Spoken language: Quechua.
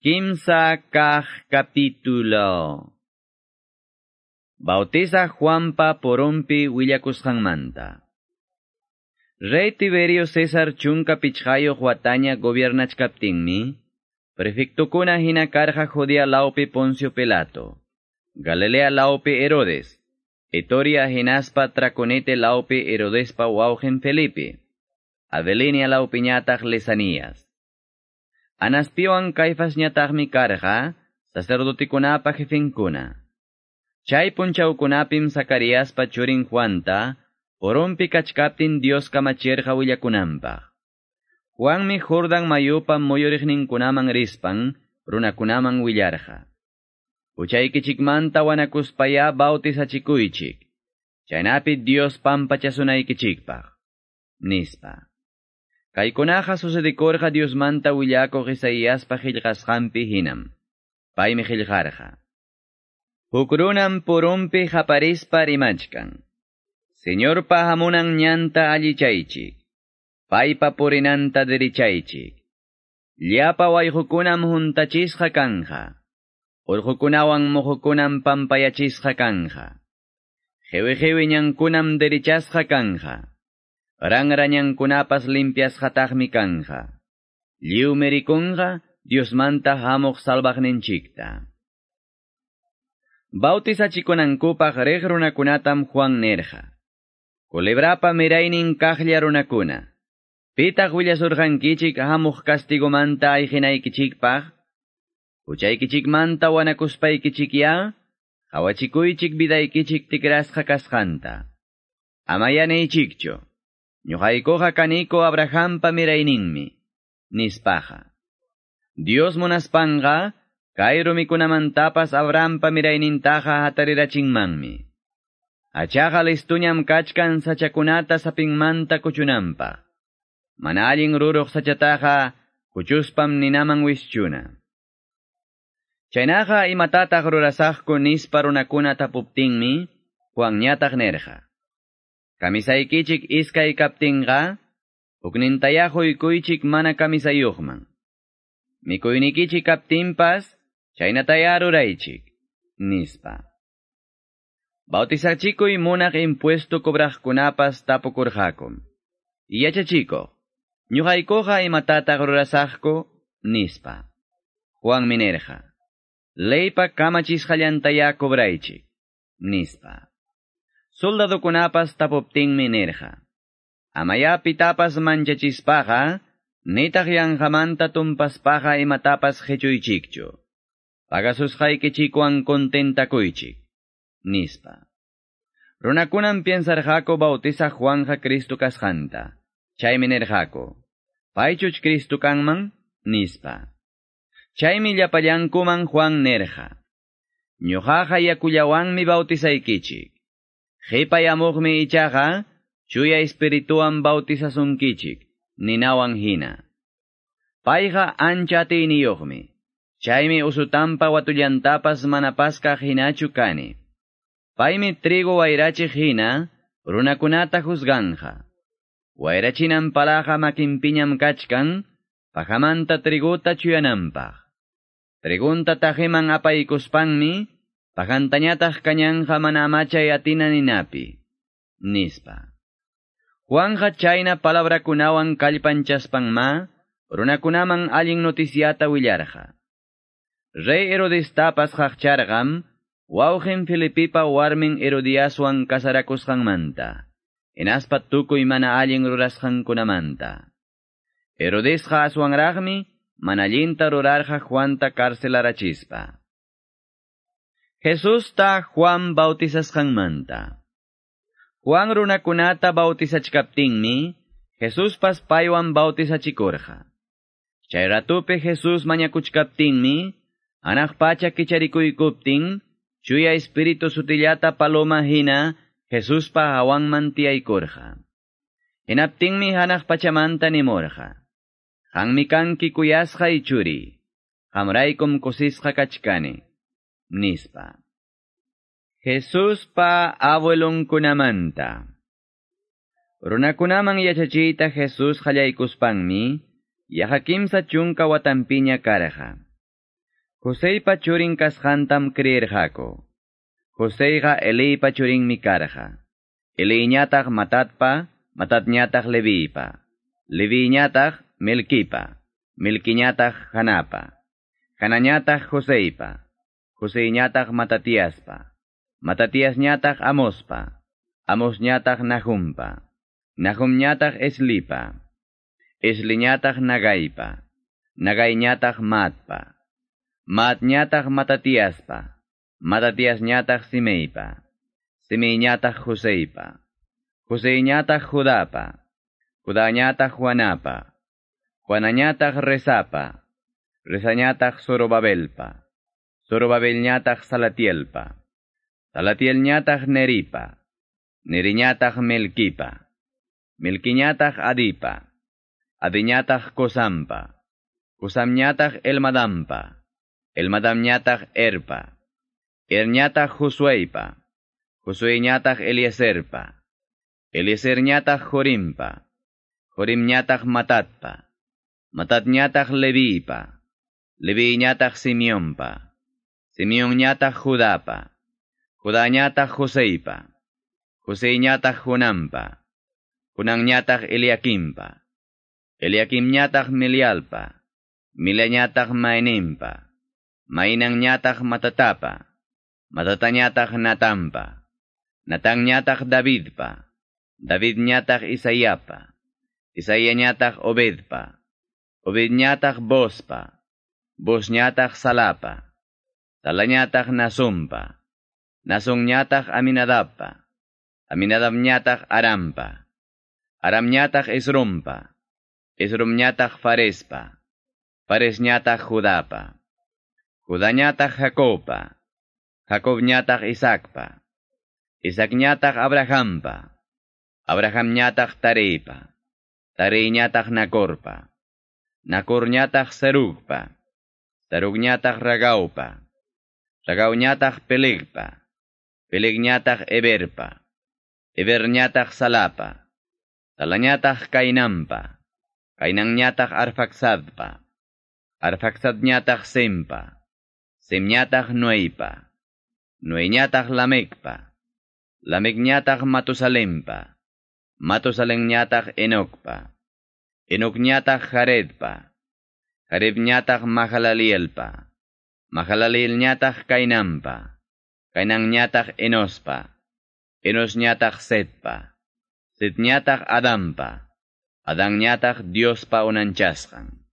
Kimsa kaq capítulo. Bautiza Juanpa porompi willakusqanmanta. Rey Tiberio César chunka pichqayuq wataña gobiernachkaptinmi, prefectukuna hina karqa Judea laupi Poncio Pilato, Galilea laupi Herodes, Etoria hinaspa Traconete laupi Herodespa wawqin Felipe, Avelenia laupiñataq Lisanías. Anaspiwan Caifasñataqmi karqa sacerdotikunapa jefenkuna. Chay punchawkunapim Zacariaspa churin Juanta, porompi kachkaptin Dios kamachirqa willakunanpaq. Juanmi Jordan mayupa muyuriqninkunaman rispan, runakunaman willarqa. Huchaykichikmanta wanakuspaya bautizachikuychik. Chaynapi Dios pampachasunaykichikpaq. Nispa. Kaykunaqa sucedikurqa Diosmanta willakuq Isaíaspa qillqasqanpi hinam. Paymi qillqarqa. Huk runam purumpi qaparispa rimachkan. Señorpa hamunan ñanta allichaychik. Paypa purinanta derichaychik. Llapa wayqukunam huntachisqa kanja. Urqukunawan muhukunam pampayachisqa kanja. Qiwi ñankunam derichasqa kanja. Ranrañankunapas limpiasqataqmi kanja. Lliwmi rikunqa Diosmanta hamuq salvaqninchikta. Bautizachikunankupaq riq runakunatam Juan nirqa. Culebrapa miraynin kaqlla runakuna. Pitaq willasurqankichik hamuq castigomanta ayqinaykichikpaq? Huchaykichikmanta wanakuspaykichikya, qawachikuychik vidaykichik tikrasqa kasqanta. Amaya niychikchu. Ñuqaykuqa kaniko Abrahampa mirayninmi, nispaqa. Dios munaspanqa, kay rumikunamantapas Abrahampa miraynintaqa hatarirachinmanmi. Hachaqa listuñam kachkan sachakunata sapinmanta kuchunanpaq. Mana allin ruruq sachataqa kuchuspam ninaman wischuna. Chaynaqa imatataq rurasaqku nispa runakuna tapuptinmi, Juanñataq nirqa. Kamisaykichik iskay kaptinqa, huknintaya huykuychik mana kamisayuqman. Mikuynikichik kaptinpas, chaynataya ruraychik, nispa. Bautizachikuy munaq impuesto cobraqkunapas tapukurqakum. Yachachikuq, ñuqaykuqa imatataq rurasaqku, nispa. Juanmi nirqa, leypa kamachisqallantaya cobraychik, nispa. Soldadukunapas tapuptinmi nirqa. Amaya pitapas manchachispaqa, nitaq yanqamanta tumpaspaqa imatapas qichuychikchu. Pagasusqaykichikwan contentakuychik, nispa. Runakunam piensarqaku bautizaq Juanja Cristo kasqanta. Chaymi nirqaku, paychuch Cristo kanman, nispa. Chaymi llapallankuman Juan nirqa. Ñuqaqa yakullawanmi bautizaykichik. Qipayamuqmi ichaqa, chuya espirituwan bautizasunkichik, ninawan hina. Payqa ancha atiyniyuqmi. Chaymi usutampa watullantapas manapaskaq hinachu kani. Paymi trigo wayrachiq hina, runakunata juzganja. Wayrachinan palaqa makinpiñam kachkan, pajamanta triguta chuyananpaq. Trigunta tajiman apaykuspanmi, pajantañataq kañanja mana amachay atina ninapi, nispa. Juanja chayna palabrakunawan kallpanchaspanma, runakunaman allin noticiata willarqa. Rey Herodestapas qaqcharqam, wawqin Felipipa warmin Herodiaswan kasarakusqanmanta, hinaspa tukuy mana allin rurasqankunamanta. Herodesqa aswanraqmi, mana allinta rurarqa Juanta carcelarachispa. Jesusta Juan bautizasqanmanta. Juan runakunata bautizachkaptinmi, Jesuspas paywan bautizachikurqa. Chay ratupi Jesús mañakuchkaptinmi, hanaq pacha kicharikuykuptin, chuya espíritu sutillata paloma hina, Jesuspa hawanman tiyaykurqa. Hinaptinmi hanaq pachamanta nimurqa. Qanmi kanki kuyasqay churi, qamraykum kusisqa kachkani, nispa. Jesuspa abuelonkunamanta. Runakunaman yachachiyta Jesús qallaykuspanmi, yaqa kimsa chunka watanpiña karqa. Joseypa churin kasqantam creerqaku. Joseyqa Eliypa churinmi karqa. Eliyñataq Matatpa, Matatñataq Leviypa. Leviyñataq Melquipa, Melquiñataq Janapa. Janañataq Joseypa, Joseyñataq Matatiaspa. Matatiasñataq Amospa, Amosñataq Nahumpa. Nahumñataq Eslipa, Esliñataq Nagaipa, Nagaiñataq Matpa, Matñataq Matatiaspa, Matatiasñataq Simeipa, Simeiñataq Joseipa, Joseiñataq Judapa, Judañataq Juanapa, Juanañataq Rezapa, Rezañataq Zorobabelpa, Zorobabelñataq Salatielpa, Salatielñataq Neripa, Neriñataq Melquipa, Melquiñataq Adipa, Adiñataq Cosampa, Cosamñataq Elmadampa, Elmadamñataq Erpa, Erñataq Josueipa, Josueñataq Eliezerpa, Eliezerñataq Jorimpa, Jorimñataq Matatpa, Matatñataq Levipa, Leviñataq Simeonpa, Simeonñataq Judapa, Judañataq Joseipa, Joseiñataq Jonampa, Jonanñataq Eliaquimpa, Eliaquimñataq Melialpa, Mileñataq Mainimpa, Mainanñataq Matatapa, Matatañataq Natampa, Natanñataq Davidpa, Davidñataq Isaiapa, Isaiañataq Obedpa, Obedñataq Bospa, Bosñataq Salapa, Salañataq Nasumpa, Nasonñataq Aminadabpa, Aminadabñataq Arampa, Aramñataq Esrompa, Esromñataq Farespa, Faresñataq Judapa, Judañataq Jacobpa, Jacobñataq Isaacpa, Isaacñataq Abrahampa, Abrahamñataq Tareipa, Tareiñataq Nacorpa, Nacorñataq Serugpa, Serugñataq Ragaupa, Ragauñataq Pelegpa, Pelegñataq Eberpa, Eberñataq Salapa, Salañataq Cainampa, Cainanñataq Arfaxadpa, Arfaxadñataq Sempa, Semñataq Noeipa, Noeñataq Lamecpa, Lamecñataq Matusalempa, Matusalemñataq Enocpa, Enocñataq Jaredpa, Jaredñataq Mahalalelpa, Mahalalelñataq Cainampa, Cainanñataq Enospa, Enosñataq Setpa, Setñataq Adampa, Adanñataq Diospa unanchasqan.